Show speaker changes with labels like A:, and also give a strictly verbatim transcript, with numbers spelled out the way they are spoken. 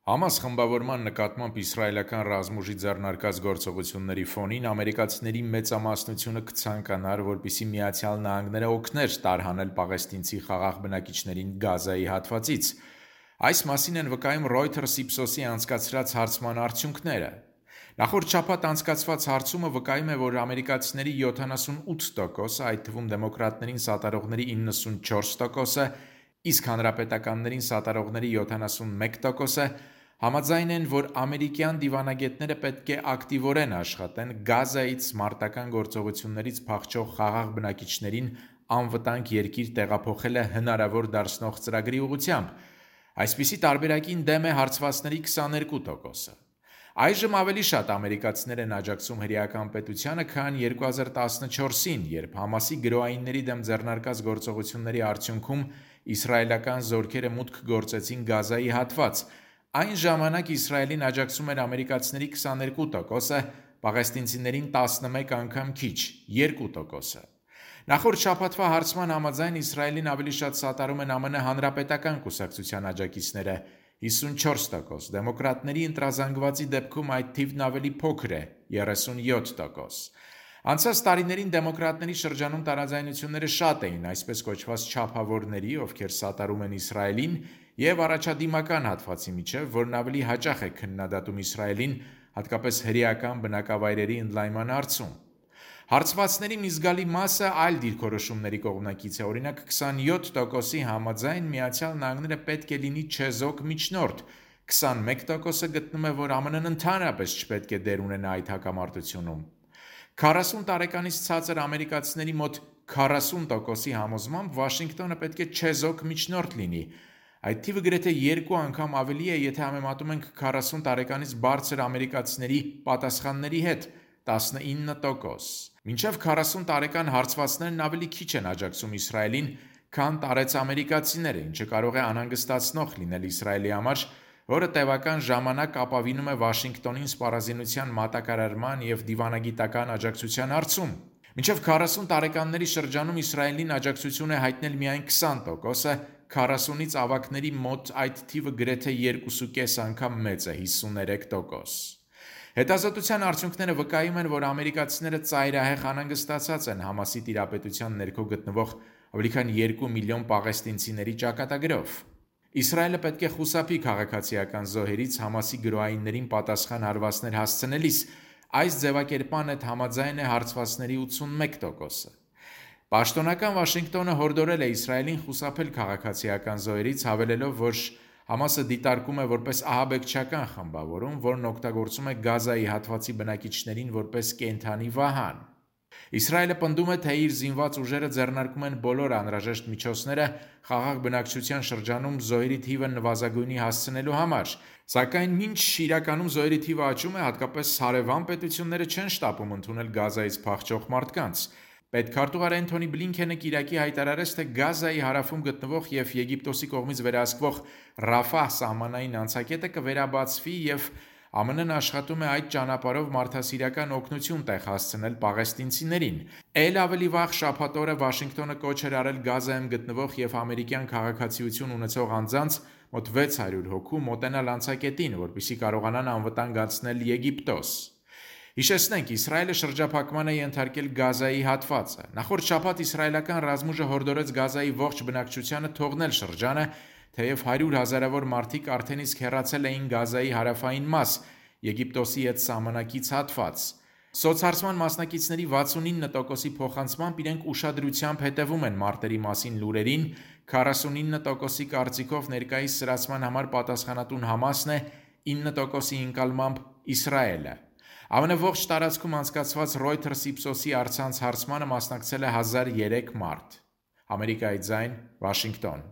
A: Համաս խմբավորման նկատմամբ իսրայելական ռազմուժի ձեռնարկած գործողությունների ֆոնին ամերիկացիների մեծամասնությունը կցանկանար, որպեսզի Միացյալ Նահանգները օգներ տարհանել պաղեստինցի խաղաղ բնակիչներին Գազայի հատվածից։ Այս մասին են վկայում Reuters-Ipsos-ի անցկացրած հարցման արդյունքները։ Նախորդ շաբաթ անցկացված հարցումը վկայում է, որ ամերիկացիների յոթանասունութ տոկոսը, այդ թվում դեմոկրատներին սատարողների իննսունչորս տոկոսը, իսկ հանրապետականներին սատարողների յոթանասունմեկ տոկոսը համաձայն են, որ ամերիկյան դիվանագետները պետք է ակտիվորեն աշխատեն Գազայից մարտական գործողություններից փախչող խաղաղ բնակիչներին անվտանգ երկիր տեղափոխելը հնարավոր դարձնող ծրագրի ուղղությամբ։ Այսպիսի տարբերակին դեմ է հարցվածների քսաներկու տոկոսը։ Այժմ ավելի շատ ամերիկացիներ են աջակցում հրեական պետությանը, քան երկու հազար տասնչորսին, երբ Համասի գրոհայինների դեմ ձեռնարկած գործողությունների արդյունքում իսրայելական զորքերը մուտք գործեցին Գազայի հատված։ Այն ժամանակ Իսրայելին աջակցում էր ամերիկացիների քսաներկու տոկոսը, պաղեստինցիներին տասնմեկ անգամ քիչ՝ երկու տոկոսը։ Նախորդ շաբաթվա հարցման համաձայն Իսրայելին ավելի շատ սատարում են ԱՄՆ հանրապետական կուսակցության աջակիցները՝ հիսունչորս տոկոս, դեմոկրատների ընտրազանգվածի դեպքում այդ թիվն ավելի փոքր է՝ երեսունյոթ տոկոս։ Անցած տարիներին դեմոկրատների շրջանում տարաձայնությունները շատ էին այսպես կոչված չափավորների, ովքեր սատարում են Իսրայելին, և առաջադիմական հատվածի միջև, որն ավելի հաճախ է քննադատում Իսրայելին, հատկապես հրեական բնակավայրերի ընդլայնման հարցում։ Հարցվածների մի զգալի մասը այլ դիրքորոշումների կողմնակից է, օրինակ քսանյոթ տոկոսի համաձայն Միացյալ Նահանգները պետք է լինի չեզոք միջնորդ, քսանմեկ տոկոսը գտնում է, որ ԱՄՆ-ն ընդհանրապես չպետք է դեր ունենա այդ հակամարտությունում։ քառասուն տարեկանից ցածր ամերիկացիների մոտ քառասուն տոկոսի համոզմամբ Վաշինգտոնը պետք է չեզոք միջնորդ լինի։ Այդ թիվը գրեթե երկու անգամ ավելի է, եթե համեմատում ենք քառասուն տարեկանից բարձր ամերիկացիների պատասխանների հետ՝ տասնինը տոկոս։ Մինչև քառասուն տարեկան հարցվածներն ավելի քիչ են աջակցում Իսրայելին, քան տարեց ամերիկացիները, ինչը կարող է անհանգստացնող լինել Իսրայելի համար, որը տևական ժամանակ ապավինում է Վաշինգտոնին սպառազինության մատակարարման և դիվանագիտական աջակցության հարցում։ Մինչև քառասուն տարեկանների շրջանում Իսրայելին աջակցություն է հայտնել միայն քսան տոկոսը, քառասունից ավագների մոտ այդ թիվը գրեթե երկուսուկես անգամ մեծ է՝ հիսուներեք տոկոս։ Հետազոտության արդյունքները վկայում են, որ ամերիկացիները ծայրահեղ անհանգստացած են Համասի տիրապետության ներքո գտնվող ավելի քան երկու միլիոն պաղեստինցիների ճակատագրով։ Իսրայելը պետք է խուսափի քաղաքացիական զոհերից Համասի գրոհայիններին պատասխան հարվածներ հասցնելիս։ Այս ձևակերպման հետ համաձայն է հարցվածների ութսունմեկ տոկոսը։ Պաշտոնական Վաշինգտոնը հորդորել է Իսրայելին խուսափել քաղաքացիական զոհերից, հավելելով, որ Համասը դիտարկում է որպես ահաբեկչական խմբավորում, որն օգտագործում է Գազայի հատվածի բնակիչներին որպես կենդանի վահան։ Իսրայելը պնդում է, թե իր զինված ուժերը ձեռնարկում են բոլոր անհրաժեշտ միջոցները խաղաղ բնակչության շրջանում զոհերի թիվը նվազագույնի հասցնելու համար, սակայն մինչ իրականում զոհերի թիվը աճում է, հատկապես հարևան պետությունները չեն շտապում ընդունել Գազայից փախչող մարդկանց։ Պետքարտուղար Էնթոնի Բլինքենը կիրակի հայտարարեց, թե Գազայի հարավում գտնվող և Եգիպտոսի կողմից վերահսկվող Ռաֆահ սահմանային անցակետը կվերաբացվի և ԱՄՆ-ն աշխատում է այդ ճանապարհով մարդասիրական օգնություն տեղ հասցնել պաղեստինցիներին։ Էլ ավելի վաղ շաբաթ օրը Վաշինգտոնը կոչ էր արել Գազայում գտնվող և ամերիկյան քաղաքացիություն ունեցող անձանց մոտ վեց հարյուր հոգու մոտենալ անցակետին, որպեսզի կարողանան անվտանգ անցնել Եգիպտոս։ Հիշեցնենք, Իսրայելը շրջափակման է ենթարկել Գազայի հատվածը։ Նախորդ շաբաթ իսրայելական ռազմուժը հորդորեց Գազայի ողջ բնակչությանը թողնել շրջանը, թեև հարյուր հազարավոր մարդիկ արդեն իսկ հեռացել էին Գազայի հարավային մաս, Եգիպտոսի հետ սահմանակից հատված։ Սոցհարցման մասնակիցների վաթսունինը տոկոսի փոխանցմամբ իրենք ուշադրությամբ հետևում են մարտերի մասին լուրերին, քառասունինը տոկոսի կարծիքով ներկայիս սրացման համար պատասխանատուն Համասն է, ինը տոկոսի ընկալմամբ Իսրայելը։ ԱՄՆ ողջ տարածքում անցկացված Reuters-Ipsos-ի առցանց հարցմանը մասնակցել է հազար երեք մարդ։ Ամերիկայի ձայն, Վաշինգտոն։